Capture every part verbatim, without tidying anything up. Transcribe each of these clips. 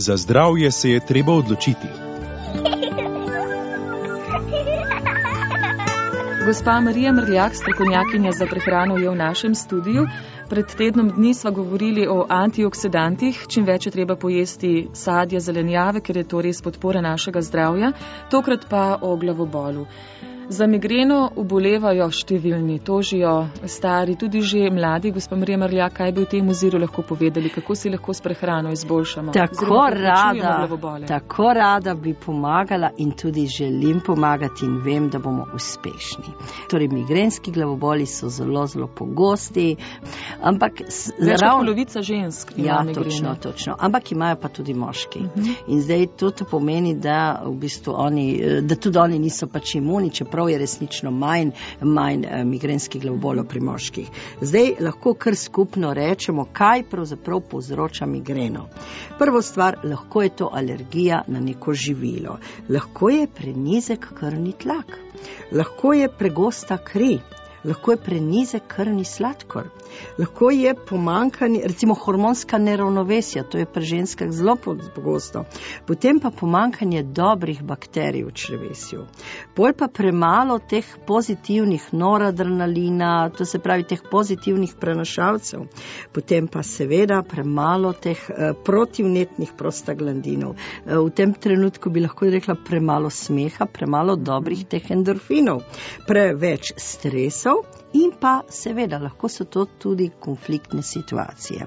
Za zdravje se je treba odločiti. Gospa Marija Mrljak, strokovnjakinja za prehrano, je v našem studiu. Pred tednom dni sva govorili o antioksidantih, čim več je treba pojesti sadja, zelenjave, ker je to res podpora našega zdravja, tokrat pa o glavobolu. Za migreno obolevajo številni, tožijo stari, tudi že mladi. Gospa Marija Mrljak, kaj bi v tem oziru lahko povedali, kako si lahko s prehrano izboljšamo? Tako rada, tako rada bi pomagala in tudi želim pomagati in vem, da bomo uspešni. Torej, migrenski glavoboli so zelo, zelo pogosti, ampak več kot polovica žensk ima ja, migreno. Točno, točno, ampak imajo pa tudi moški. Uh-huh. In zdaj to pomeni, da v bistvu oni, da tudi oni niso pač imuni, čeprav je resnično manj, manj eh, migrenskih glavobolov pri moških. Zdaj lahko kar skupno rečemo, kaj pravzaprav povzroča migreno. Prvo stvar, lahko je to alergija na neko živilo. Lahko je prenizek krvni tlak. Lahko je pregosta kri. Lahko je prenizek krvni sladkor. Lahko je pomanjkanje, recimo hormonska neravnovesja, to je pri ženskah zelo pogosto. Potem pa pomanjkanje dobrih bakterij v črevesju. Bolj pa premalo teh pozitivnih noradrenalina, to se pravi teh pozitivnih prenašalcev. Potem pa seveda premalo teh eh, protivnetnih prostaglandinov. Eh, v tem trenutku bi lahko rekla premalo smeha, premalo dobrih teh endorfinov, preveč stresov. In pa seveda lahko so to tudi konfliktne situacije.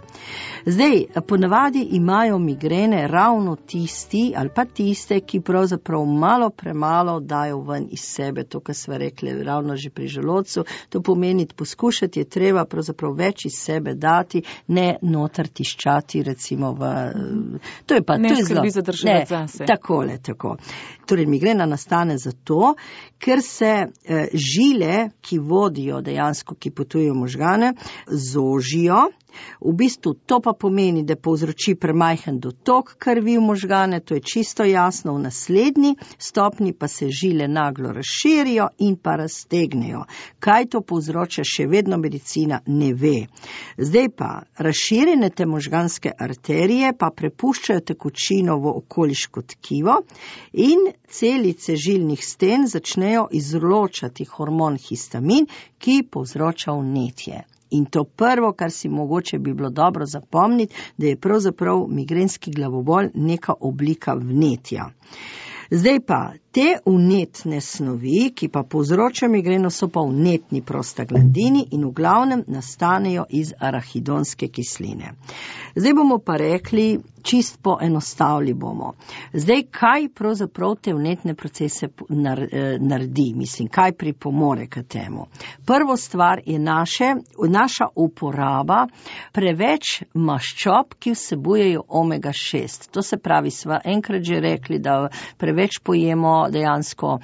Zdaj, ponavadi imajo migrene ravno tisti ali pa tiste, ki pravzaprav malo premalo dajo ven iz sebe, to, kar sva rekli ravno že pri želodcu. To pomeni, poskušati je treba pravzaprav več iz sebe dati, ne noter tiščati recimo v... To je pa, ne to je skrbi zlo... zadržati zase. Takole, tako. Torej, migrena nastane zato, ker se eh, žile, ki vodijo dejansko, ki potujejo možgane, zožijo. V bistvu to pa pomeni, da povzroči premajhen dotok krvi v možgane, to je čisto jasno, v naslednji stopni pa se žile naglo razširijo in pa raztegnejo. Kaj to povzroča, še vedno medicina ne ve. Zdaj pa, razširjene te možganske arterije pa prepuščajo tekočino v okoliško tkivo in celice žilnih sten začnejo izločati hormon histamin, ki povzroča vnetje. In to prvo, kar si mogoče bi bilo dobro zapomniti, da je pravzaprav migrenski glavobol neka oblika vnetja. Zdaj pa, te vnetne snovi, ki pa povzročajo migreno, so pa vnetni prostaglandini in v glavnem nastanejo iz arahidonske kisline. Zdaj bomo pa rekli, čist poenostavili bomo. Zdaj, kaj pravzaprav te vnetne procese naredi? Mislim, kaj pripomore k temu? Prvo stvar je naše, naša uporaba preveč maščob, ki vsebujejo omega šest. To se pravi, sva enkrat že rekli, da preveč pojemo dejansko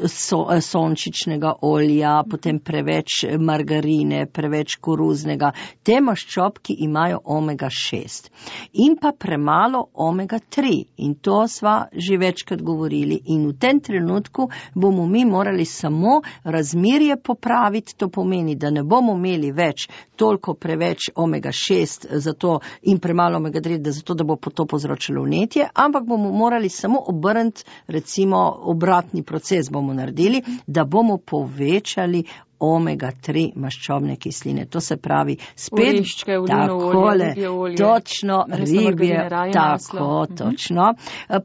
so, sončičnega olja, potem preveč margarine, preveč koruznega. Te maščobki imajo omega šest. In pa premalo omega tri. In to sva že večkrat govorili. In v tem trenutku bomo mi morali samo razmerje popraviti. To pomeni, da ne bomo imeli več toliko preveč omega šest zato, in premalo omega tri, da zato, da bo to povzročilo vnetje, ampak bomo morali samo obrniti, recimo obratni proces bomo naredili, da bomo povečali omega tri maščobne kisline. To se pravi spet Oreščke, takole, olje, olje, točno, ribje, tako, točno.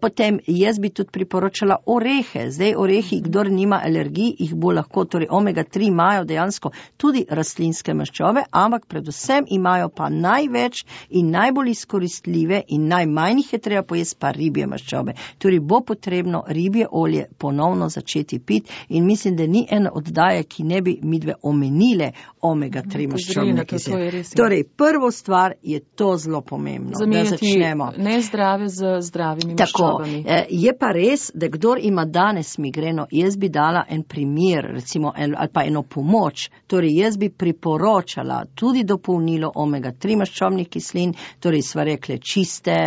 Potem jaz bi tudi priporočala orehe. Zdaj orehi, kdor nima alergij, jih bo lahko, torej omega tri imajo dejansko tudi rastlinske maščobe, ampak predvsem imajo pa največ in najbolj izkoristljive in najmanj jih je treba pojesti pa ribje maščobe. Torej bo potrebno ribje olje ponovno začeti piti in mislim, da ni ena oddaja, ki ne bi midve omenile omega tri maščobne kisline. Torej, prvo stvar je to zelo pomembno, zamenjati da začnemo. Nezdrave z zdravimi Tako, maščobami. Je pa res, da kdor ima danes migreno, jaz bi dala en primer, recimo, ali pa eno pomoč, torej jaz bi priporočala tudi dopolnilo omega tri maščobnih kislin, torej sva rekle čiste,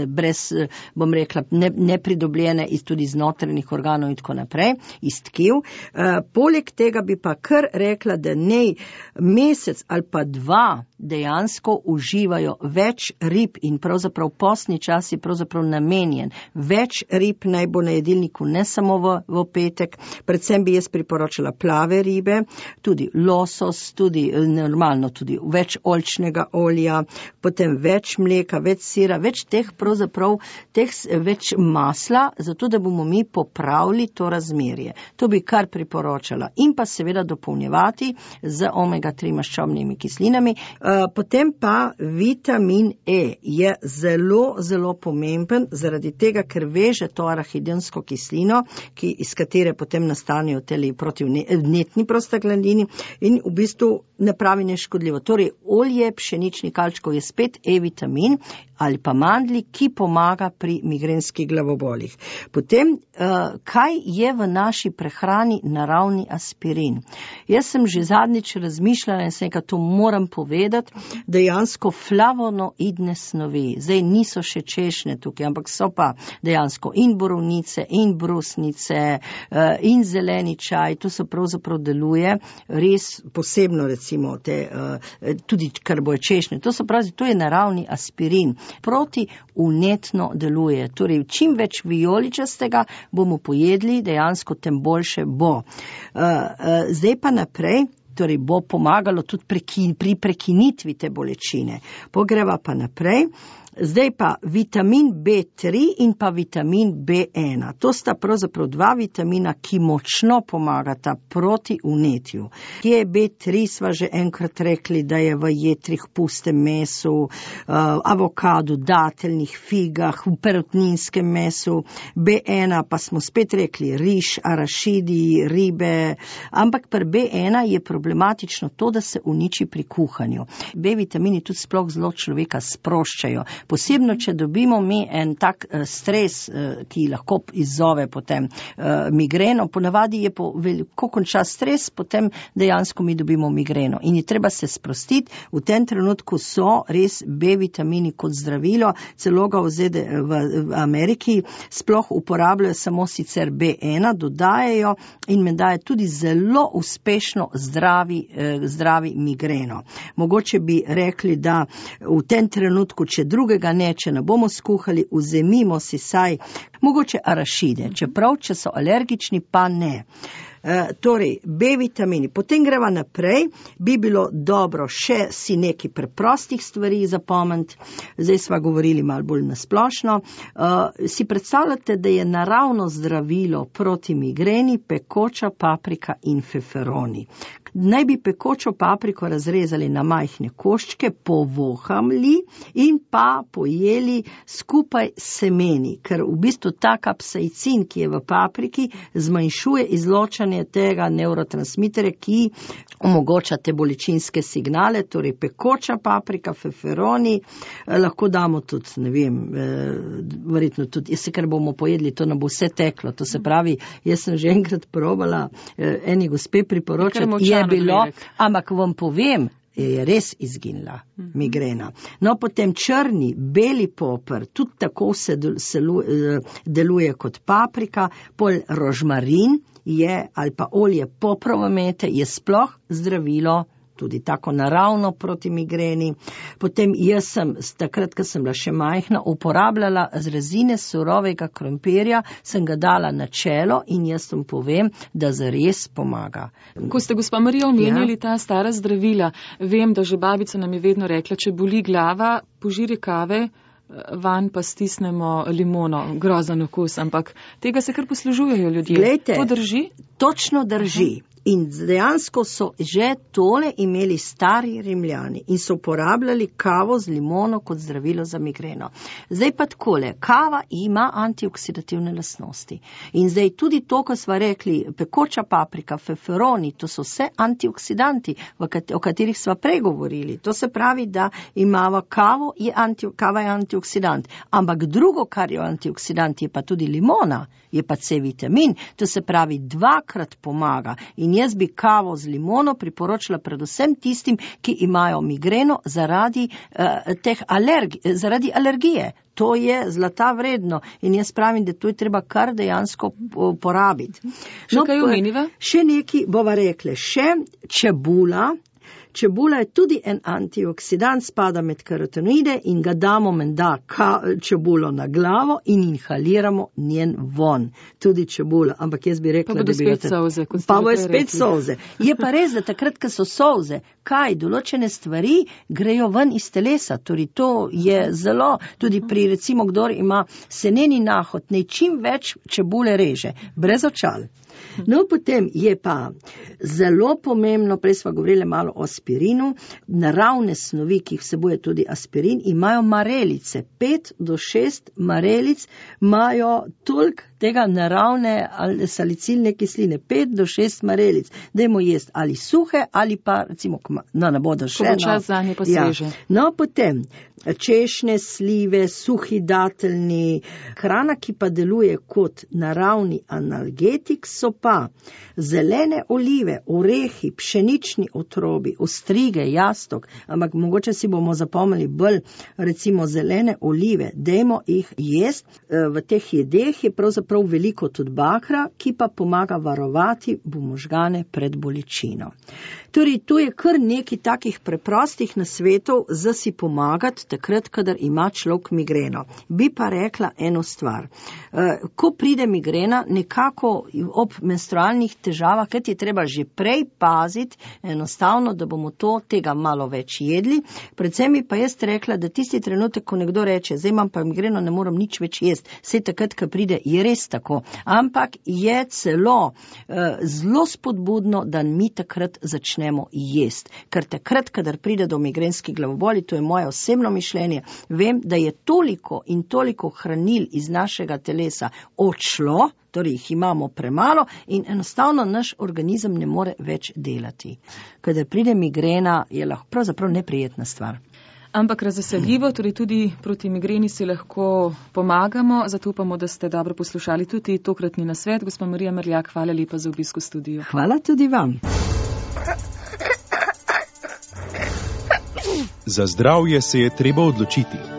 brez, bom rekla, nepridobljene iz tudi iz notranjih organov in tako naprej, iz tkiv. Poleg tega tega bi pa kar rekla, da nej mesec ali pa dva dejansko uživajo več rib in pravzaprav postni čas je pravzaprav namenjen. Več rib naj bo na jedilniku, ne samo v, v petek. Predvsem bi jaz priporočala plave ribe, tudi losos, tudi normalno, tudi več oljčnega olja, potem več mleka, več sira, več teh pravzaprav, teh več masla, zato da bomo mi popravili to razmerje. To bi kar priporočala. In pa seveda dopolnjevati z omega tri maščobnimi kislinami. Potem pa vitamin E je zelo, zelo pomemben zaradi tega, ker veže to arahidonsko kislino, ki, iz katere potem nastanejo teli protivnetni prostaglandini in v bistvu ne pravi neškodljivo. Torej, olje pšeničnih kalčkov je spet E-vitamin ali pa mandlji, ki pomaga pri migrenskih glavobolih. Potem, kaj je v naši prehrani naravni aspirin? Jaz sem že zadnjič razmišljala in sem, to moram povedati, dejansko flavonoidne snovi. Zdaj niso še češnje tukaj, ampak so pa dejansko in borovnice, in brusnice, in zeleni čaj. To se pravzaprav deluje res posebno, recimo, te, tudi kar boje češnje. To, pravi, to je naravni aspirin. Proti vnetno deluje. Torej, čim več vijoličastega bomo pojedli, dejansko tem boljše bo. Zdaj pa naprej. Torej bo pomagalo tudi prekin, pri prekinitvi te bolečine. Pogreva pa naprej. Zdaj pa vitamin B tri in pa vitamin B ena. To sta pravzaprav dva vitamina, ki močno pomagata proti vnetju. Kje je B tri, sva že enkrat rekli, da je v jetrih, pustem mesu, avokadu, dateljnih figah, v perutninskem mesu. B ena pa smo spet rekli riž, arašidi, ribe, ampak pri B ena je problematično to, da se uniči pri kuhanju. B vitamini tudi sploh zelo človeka sproščajo. Posebno, če dobimo mi en tak uh, stres, uh, ki lahko izzove potem uh, migreno, ponavadi je, po, ko konča stres, potem dejansko mi dobimo migreno. In je treba se sprostiti, v tem trenutku so res B vitamini kot zdravilo, celo ga v, ZD, v, v Ameriki sploh uporabljajo samo sicer B ena, dodajajo in me daje tudi zelo uspešno zdravi, uh, zdravi migreno. Mogoče bi rekli, da v tem trenutku, če druge ga ne, če ne bomo skuhali, vzemimo si saj mogoče arašide, čeprav, če so alergični, pa ne. E, torej, B vitamini. Potem greva naprej, bi bilo dobro še si neki preprostih stvari zapomniti, zdaj sva govorili malo bolj nasplošno. E, si predstavljate, da je naravno zdravilo proti migreni pekoča paprika in feferoni. Naj bi pekočo papriko razrezali na majhne koščke, povohamli in pa pojeli skupaj semeni, ker v bistvu ta kapsaicin, ki je v papriki, zmanjšuje izločanje tega nevrotransmitere, ki omogoča te bolečinske signale, torej pekoča paprika, feferoni, eh, lahko damo tudi, ne vem, eh, verjetno tudi, jaz se, ker bomo pojedli, to ne bo vse teklo, to se pravi, jaz sem že enkrat probala, eh, eni gospe priporočati, je bilo, ampak vam povem, je res izginila migrena. No, potem črni, beli poper, tudi tako se deluje kot paprika, pol rožmarin je, ali pa olje poprovomete, je sploh zdravilo, tudi tako naravno proti migreni. Potem jaz sem, takrat, ko sem bila še majhna, uporabljala z rezine surovega krompirja, sem ga dala na čelo in jaz sem povem, da zares pomaga. Ko ste, gospa Marija, omenjali ja. ta stara zdravila, vem, da že babica nam je vedno rekla, če boli glava, požiri kave, van pa stisnemo limono, grozen okus, ampak tega se kar poslužujejo ljudje. Glejte, to drži? Točno drži. Uh-huh. In dejansko so že tole imeli stari Rimljani in so uporabljali kavo z limono kot zdravilo za migreno. Zdaj pa takole, kava ima antioksidativne lastnosti. In zdaj tudi to, ko sva rekli, pekoča paprika, feferoni, to so vse antioksidanti, o katerih sva pregovorili. To se pravi, da imava kavo, je anti, kava je antioksidant. Ampak drugo, kar je antioksidant, je pa tudi limona, je pa C vitamin. To se pravi, dvakrat pomaga. In jaz bi kavo z limono priporočila predvsem tistim, ki imajo migreno zaradi, uh, teh alergi, zaradi alergije. To je zlata vredno in jaz pravim, da to je treba kar dejansko porabiti. Še kaj omeniva? Še nekaj bova rekli, še čebula. Čebula je tudi en antioksidant, spada med karotenoide in ga damo menda čebulo na glavo in inhaliramo njen von. Tudi čebula, ampak jaz bi rekla, pa da bi... spet solze, pa bo spet solze. Je pa res, da takrat, ko so solze, kaj, določene stvari grejo ven iz telesa, torej to je zelo, tudi pri recimo, kdor ima seneni nahod, ne čim več čebule reže, brez očal. No, potem je pa zelo pomembno, prej sva govorili malo o aspirinu, naravne snovi, ki jih vsebuje tudi aspirin, imajo marelice, pet do šest marelic imajo toliko tega naravne salicilne kisline, pet do šest marelic, dajmo jesti ali suhe ali pa recimo, no ne bodo še, ko bo čas zanje pa sveže. Ja. No, potem češnje, slive, suhi dateljni, hrana, ki pa deluje kot naravni analgetik, so pa zelene olive, orehi, pšenični otrobi, ostrige, jastok, ampak mogoče si bomo zapomnili bolj recimo zelene olive, dajmo jih jesti. V teh jedeh je pravzaprav veliko tudi bakra, ki pa pomaga varovati možgane pred bolečino. Torej, to je kar nekaj takih preprostih nasvetov za si pomagati takrat, kadar ima človek migreno. Bi pa rekla eno stvar. Ko pride migrena, nekako ob menstrualnih težavah, kaj je treba že prej paziti, enostavno, da bomo to tega malo več jedli. Predvsem bi pa jaz rekla, da tisti trenutek, ko nekdo reče, zdaj imam pa migreno, ne moram nič več jesti, vse takrat, ko pride, je res tako. Ampak je celo uh, zelo spodbudno, da mi takrat začnemo jesti. Ker takrat, kadar pride do migrenskih glavoboli, to je moje osebno mišljenje, vem, da je toliko in toliko hranil iz našega telesa odšlo, torej jih imamo premalo in enostavno naš organizem ne more več delati. Kadar pride migrena, je lahko pravzaprav neprijetna stvar. Ampak razveseljivo, torej tudi proti migreni si lahko pomagamo, zato upamo, da ste dobro poslušali tudi tokratni nasvet. Gospa Marija Merljak, hvala lepa za obisk v studiu. Hvala tudi vam. Za zdravje se je treba odločiti.